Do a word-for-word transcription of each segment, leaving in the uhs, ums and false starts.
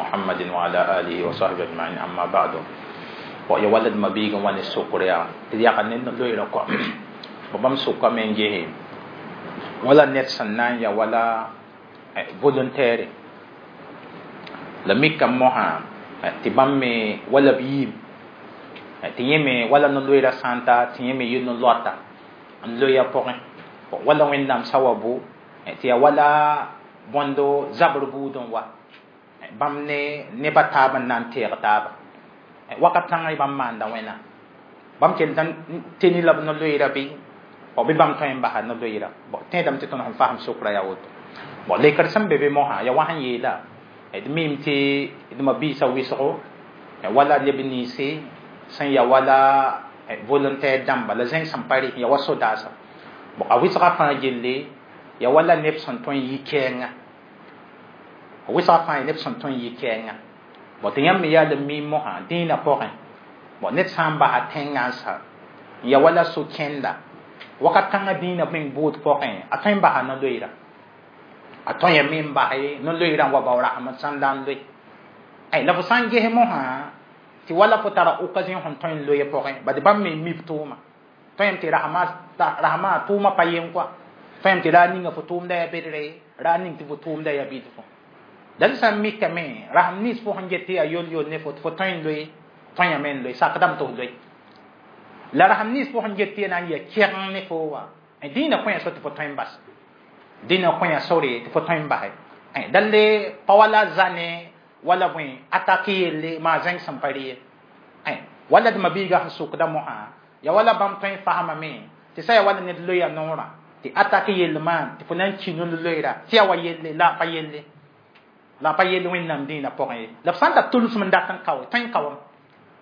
محمد وعلى آله وصحبه أجمعين أما بعد ya wala d mabiig n wa ne sokr yaa tɩ d yagd ne loeera kɔa bãmb sokame n gese wala ned sẽn na n ya wala volontaire la mikame mosã tɩ bãmb me wala b yiim tɩ yẽ me wala no-loeera sã n ta tɩ yẽ me yɩ no-loata n loeya pʋgẽ wala Wẽnnaam sa wa bo tɩ ya wala bõndo zabr buud n wa bãmb ne neba taab n na n teeg taaba wakat kãngã bãmb maanda wẽna bãmb kell teni la b no-loeera bɩ bɩ bãmb tõe n basa no-loeera tẽedame tɩ tõnd sẽn fasem sokra yaa woto bon lekr sẽn be be mosã ya wa sẽn yeela d miime tɩ d ma-biisã wɩsgo wala neb ninse sẽn ya wala volontaire dãmba la zẽng sẽn pa rɩ ya wa sodaasã bon a wɩsgã fãa gelle ya wala neb sẽn tõe n yi kɛɛngã a wɩsgã fãa ya neb sẽn tõe n yi kɛɛngã bon tɩ yãmb me yaa la miim mosã dĩinã pʋgẽ bon ned sã n basa tẽngã n sa n ya wala so-kẽnda wakat kãngã dĩinã meng bood pʋgẽ a tõe n basa no-loeera a tõe ya me n bas no-loeerã n wa bao rasem sãn la n loe la fo sã n ges mosã tɩ wala fo tara occasion sẽn tõe n loe pʋgẽ bad bãmb me mi b tʋʋma tõe tɩ rasmã tʋʋmã pa yen kɔa tõe tɩ raar ninga fo tʋʋmda yaa bedre raar ning tɩ fo tʋʋmda yaa bilfo la d sã n mikame rasem nins fo sẽn get tɩ yaa yol-yol ne fo tɩ fo tõe n loe tõe yame n loe sakdame tɩ f loe la rasem nins fo sẽn get tɩ yaa na n yaa kɛgeng ne fo wa dĩinã kõ so tɩ fo tõe n bas dĩnã kõ sore tɩ fo tõe n base dalle pa wala zane wala bõe atake yelle maa zẽng sẽn pa rɩ ye wala d mabiiga sẽn sokda mosã ya wala bãmb tõe n fasamame tɩ sã ya wala ned loeya noorã tɩ atake yell maan tɩ fo na n ki no-loeera tɩ ya wa yelle la pa yelle la pa yelle Wẽnnaam dĩinã pʋgẽ ye la b sã n ta tʋlsem n dat n kao tõe n kaoame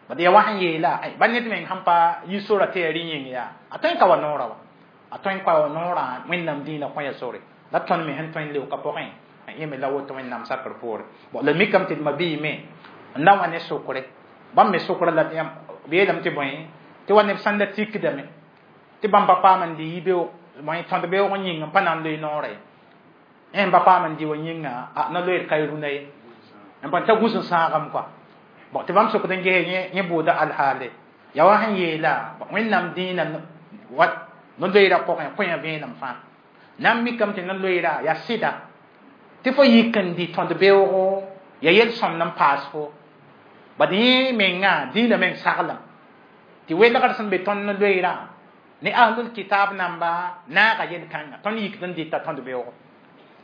bad ya wa sẽn yeela ba ned meng sẽn pa yi sora tɩ yaa rɩ yĩng yaa a tõe n ka wa noorã wa a tõe n ka wa noorã Wẽnnaam dĩinã kõ ya sore la tõnd me sẽn tõe n leoka pʋgẽ yẽ me la woto Wẽnnaam sakr poore bon la mikame tɩ d mabiime n na wa ne sokre bãmb me sokra la b yeelame tɩ bõe tɩ wa neb sãn da tikdame tɩ bãmb pa paam n dɩ yi-beoog bõe tõnd beoog n yĩng n pa na n loe noorã ye n pa paam n dɩ wa yĩnga a no-loeer ka rũnã ye n pa t'a gũs n sãagame kɔa bon tɩ bãmb sokd n ges yẽ buuda alhaale ya wa sẽn yeela Wẽnnaam dĩinã no-loeera pʋgẽ kõ yã vẽenem fãa na n mikame tɩ no-loeera yaa sɩda tɩ fo yik n dɩ tõnd beoogo ya yel-sõmd n paas fo bad yẽ mengã dĩinã meng saglem tɩ welgr sẽn be tõnd no-loeerã ne ahlul kitab namba naaga yel-kãnga tõnd yikd n dɩta tõnd beoogo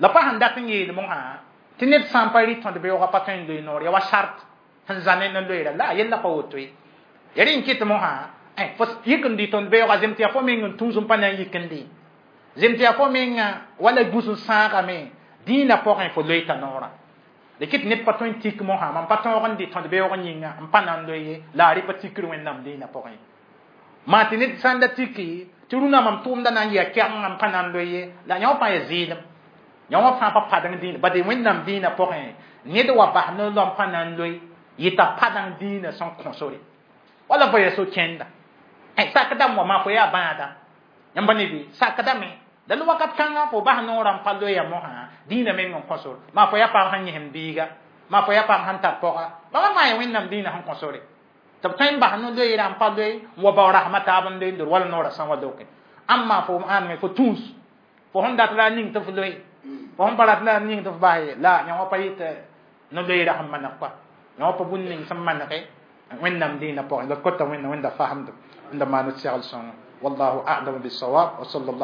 la pa sẽn dat n yeel mosã tɩ ned sã n pa rɩ tõnd beoogã pa tõe n loe noor ya wa sart sẽn zã ne no-loeera la yella pa woto ye ya rẽ n kɩt mosã fo yik n dɩ tõnd beoogã zem tɩ yaa fo meng n tũus n pa na n yik n dɩ zem tɩ yaa fo menga wala gũs n sãagame dĩinã pʋgẽ fo loeta noorã la kɩt ned pa tõe n tik mosã mam pa tõog n dɩ tõnd beoog yĩnga n pa na n loe ye la a rɩ pa tikr Wẽnnaam dĩinã pʋgẽ maa tɩ ned sã n da tiki tɩ rũnã mam tʋʋmda na n yɩa kɛgengã n pa na n loe ye la yã wã fãa ya zɩɩlem yã wã fãa pa padeng dĩinã bad Wẽnnaam dĩinã pʋgẽ ned wa bas no-loam pa na n loe yɩta padeng dĩinã sẽn kõ sore wala fo ya so-kẽnda sakdame wa maa fo yaa bãada yãmb ne bɩ sakdame la la wakat kãngã fo bas noorã n pa loeya mosã dĩinã meng n kõ sore maa fo yaa pag sẽn yẽsem biiga maa fo yaa pag sẽn tar pɔga bãmba fãa ya Wẽnnaam dĩinã sẽn kõ sore tɩ b tõe n bas no-loeerã n pa loe n wa bao rasmã taab n loeendr wala noorã sã n wa loke ãmb fo ãneme fo tũus fo sẽn dat la a ning tɩ f loe fo sẽn pa rat la a ning tɩ f bas ye la yã wã pa yɩt no-loeerã sẽn maneg kɔa yã wã pa bũn ning sẽn manege Wẽnnaam dĩinã pʋgẽ la d kota Wẽnna Wẽnda fasemdo wẽnda maan d segl sõngo والله أعلم بالصواب وصلى الله.